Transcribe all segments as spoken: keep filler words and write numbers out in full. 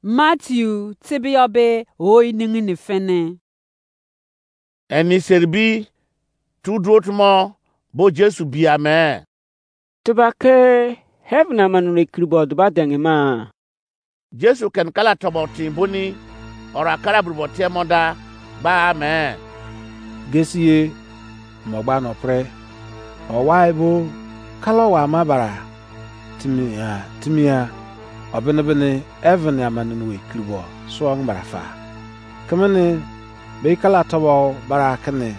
Matthew tebeyọ be o iningini fini. Eni seribi tu duo tumo bo Jesu bia me. Tuba ke heaven amanunu ekiri bo duba denge ma. Jesu ken kala tobo tin boni ora kara burbo tiemo da ba me. Gesiye mo gba no pre. Owai bo kala wa ma bara timia timia obini bini heaven amanunu ekiri bo suo ngbara fa. Kemene be kala tobo bara kene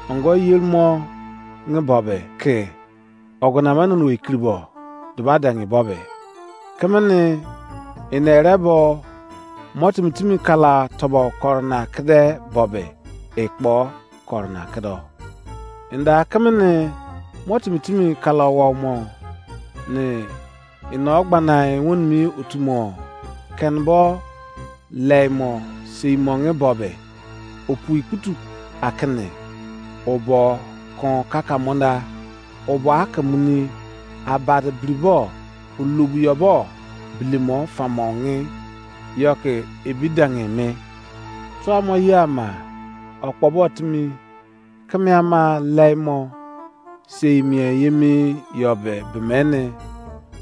ongo yelmo nge bobe ke ogona manunu ekiri bo duba dangi bobe. Kemene inere bo mo timi timi kala tobo korona kede bobe ekpo korona kedo. Inda kemene mo timi timi kala wo mo ne ino gbana won mi otumo ken bo leimo sei monge bobe. Opui kutu akene obo kon kaka monda obo akemuni abade bribo ulubu yobo bilimo famonge yoke ebidange me. Tuamo ye ama okpobo timi keme ama leimo sei mien yemi yobe bemene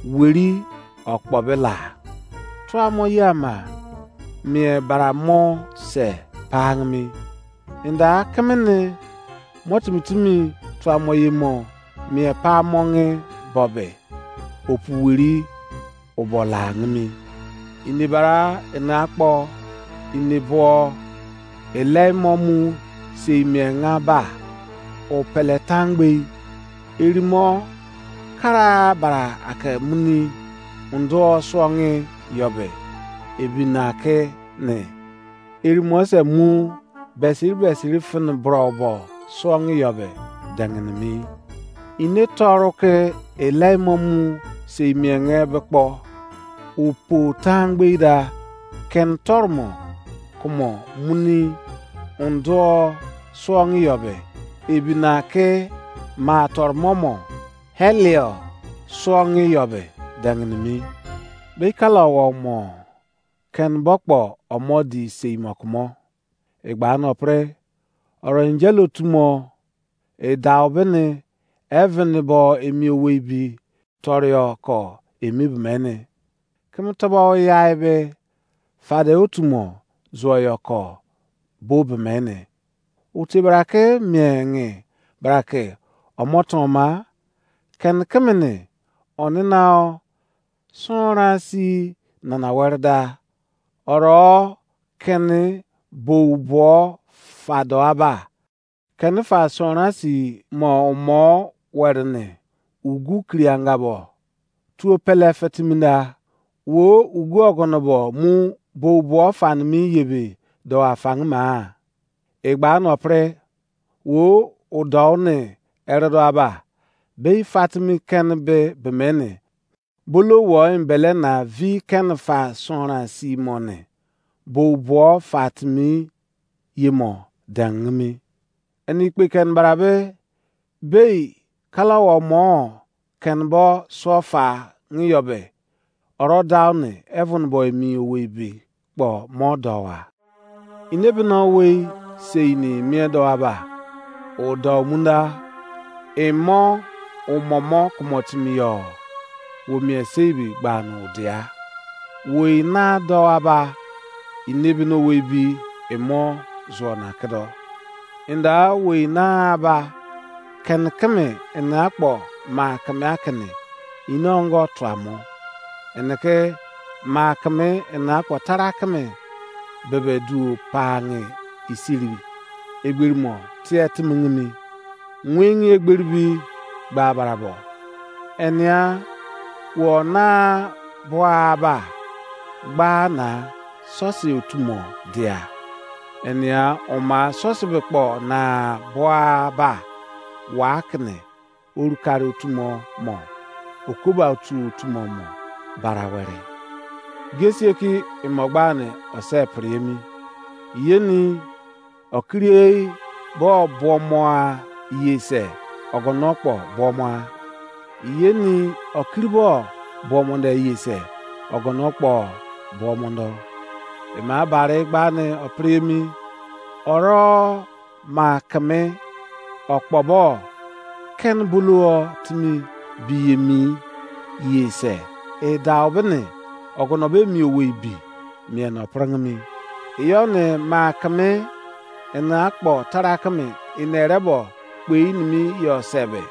weri okpobe la. Tuamo ye ama mien bara mo se pangmi. Inda kemene mo timi timi tuamo ye mo mien pa monge bobe opu weri obo la ngimi. Ini bara ina akpo ini bo elemo mu sei mien nga ba o pele tangbei erimo kara bara ake muni undo suongi yobe ebina ke ne erimo se mu besiri besiri fini bro bo suongi yobe dengini mi. Ine toru ke elemo mu sei mienge be kpo opo tangbei da ken tormo kumo muni undo suongi yobe ebina ke ma tormo mo helio suongi yobe dengini mi. Be kala wo mo ken bokpo omo di sei mo kumo. Egba no pre oro angel otumo edau bene heaven bo emi owei bi torio ko emi bemene. Keme tobo yai be fade otumo zuo yo ko bo bemene. Uti bra ke mienge bra ke omoton ma ken kemene onina o sonra si nana were da. Oro kene bou buo fado aba. Kene fa sonra si mo mo were ne ugu kirianga bo tuo pele fetiminda wo ugu ogono bo mu bou buo fanimi yebe do afangima. Egba no pre wo udou ne eredo aba be fatimi kene be bemene bolo wo embele na vi kene fa sonra si mo ne bo buo fatimi ye mo dengimi. Eni kpe ken barabe bei kala wo mo ken bo so fa ngi yobe oro dau ne heaven bo emi owei bi kpo mo dowa. Ine bino wei sei ni mie do aba o do munda imo umomo kumo timi yo wo mie sei bi gba no dia. Wei na do aba ine bino wei bi imo zuo na kedo. Inda wei na aba ken keme ina akpo ma keme akene ine ongo tuamo. Eneke ma keme ina akpo tara keme bebe duo pange isiri egberimo tie timingimi. Wengi egberibi gba barabo. Enia wo na bua ba gba na sosi otumo dia. Enia oma sosi be kpo na bua ba wa kene orukari otumo mo okoba otu otumo mo bara were. Gesieki imogbani ose priemi yeni okiriei bo buomoa yese ogono kpo buomoa yeni okiri bo buomonde yese ogono kpo buomondo. Ema bare gba ne opre emi. Oro ma keme okpobo ken bulu o timi bi emi ye se. E dau bene ogono be mi owei bi mien opring mi. Iyo ne ma keme ene akpo tara keme ene rebo kpei nimi yo sebe.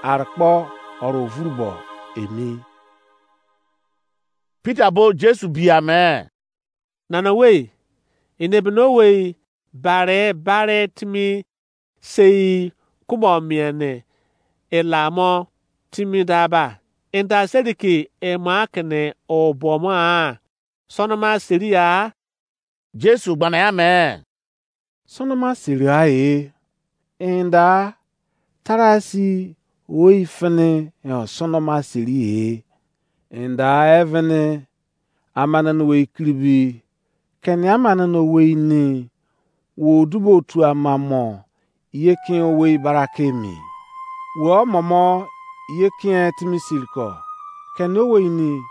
Arkpo oro vuru bo emi. Peter bo Jesu bia me, Nana wei, ene beno wei bare bare timi sei kubo mien ne elamo timi daba. Enda seri ke emo akene obomo a sonoma seri a? Jesu gbana ya me, sonoma seri a e. Enda tarasi oi fene sonoma seri e. Enda evene amananu wei kiribi keni amananu wei ni wo dubo tu amamo ye kin owei bara ke emi. Wo momo ye kin timi siriko keni owei ni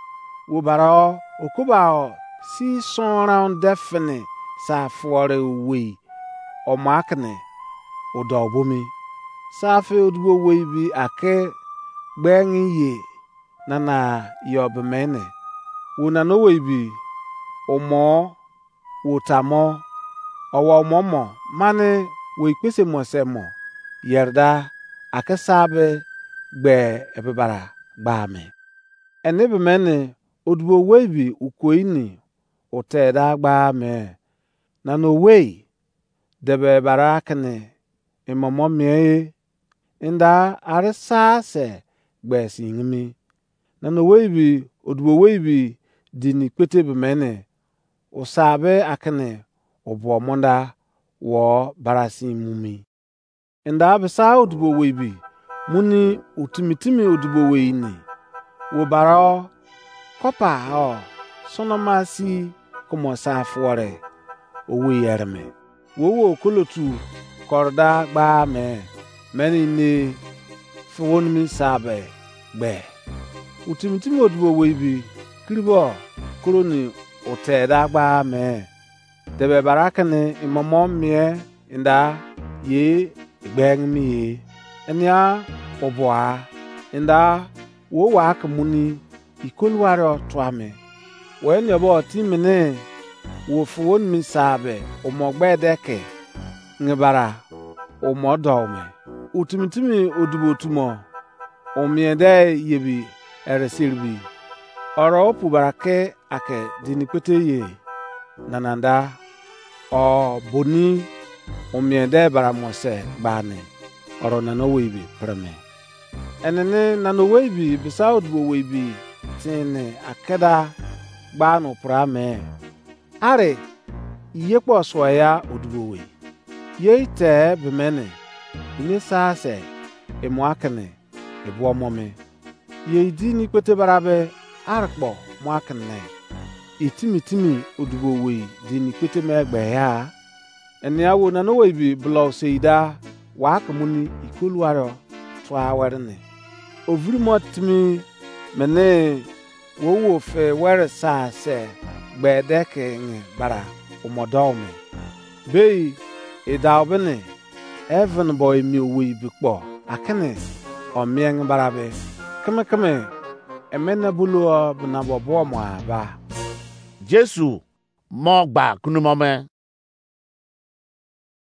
wo bara o okuba o si sonran de fini sa fuore owei omo akene odo bomi. Sa fe odubo wei bi ake gbe ngi ye nana yo bemene. Wo nana owei bi omo wo tamo owa omo mo mane wo ikpese mo se mo yerda ake sa be gbe ebe bara gba me. Ene be mene odubo wei bi ukoi ni o te da gba me. Nana owei debe bara kene imomo mie e. Enda are sa se gbe singimi. Nana owei bi odubo wei bi dini kpete be mene osa be akene obo monda wo barasin mumi. Enda besa odubo wei bi muni utimi timi odubo wei ni wo bara o kopa o sonoma si kumo sa fuore owei ereme. Wo wo kolotu korda gba me meni ne fuwonimi sa be gbe. Utimi timi odubo wei bi kiribo koroni ote da gba me. Debe bara kene imomo mie enda ye egbeng mi ye. Enia obua enda wo wa ke muni ikoluwari tua me. Wo enia bo ti mene wo fuwo nimi sa be omo gbe de ke nge bara omo do me. Utimi timi odubo tumo o mien de yebi ere seribi. Oro opu bara ke ake dini kpete ye nananda o boni o mien de bara mo se gbani oro nana owei bi preme. Enene nana owei bi bisa odubo owei bi tini akeda gbani pura me. Are iye kpo suo ya odubo wei. Ye ite be mene ine sa se emo akene ebuo mo me. Ye idi ni kpete barabe arkpo mo akene itimi timi odubo wei di ni kpete me gbe ya. Enia wo nana owei bi blo seida wa ke muni ikoluwaro tua were ne. Oviri mo timi mene wo wo fe were sa se gbe de ke nge bara omodo me. Bei edau bene even bo emi owei bi kpo akene omieng barabe keme keme emene bulu o bena bo bo mo aba. Jesu mo gba kunumo me.